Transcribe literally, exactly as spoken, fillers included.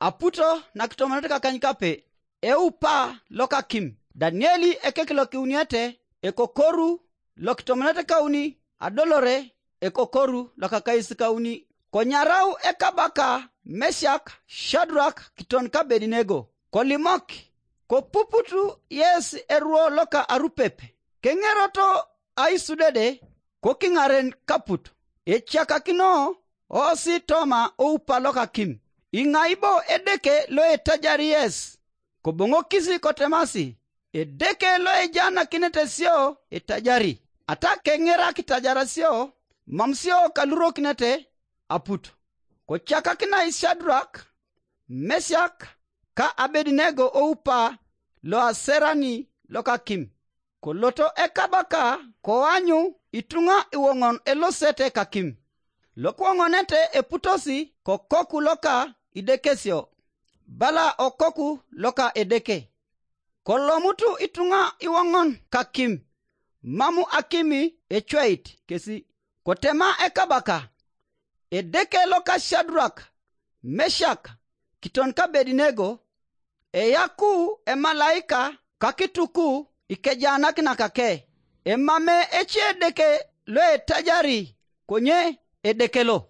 aputo na kitomonete kakanykape e upa loka kim. Danieli ekekelo kiuniete e kokoru lo kitomonete kauni adolore e kokoru loka kaisi kauni. Konyarau e kabaka Meshak, Shadrach, kiton ka Abednego. Kolimok ko puputu yes eruo loka arupepe. Kengeroto aisudede ko kingaren kaputu. E chaka kino osi toma o upa loka kim. Ingaibo edeke lo e tajari yes. Ko bongo kisi kotemasi. Edeke lo e jana kinete sio e tajari. Ata kengera kitajara sio mamsio kaluro kinete aputu. Ko chaka kina Shadrach, Meshak, ka Abednego o upa lo aserani loka kim. Ko loto e kabaka ko anyu itunga iwongon elosete kakim. Lokwongonete e putosi ko koku loka idekesio. Bala o koku loka edeke. Ko lomutu itunga iwongon kakim. Mamu akimi e chweit kesi. Ko tema e kabaka. Edeke loka Shadrach, Meshak, kiton ka Abednego, e yaku e malaika kakituku ikejana kina kake. E mame echi edeke lo e tajari konye edekelo.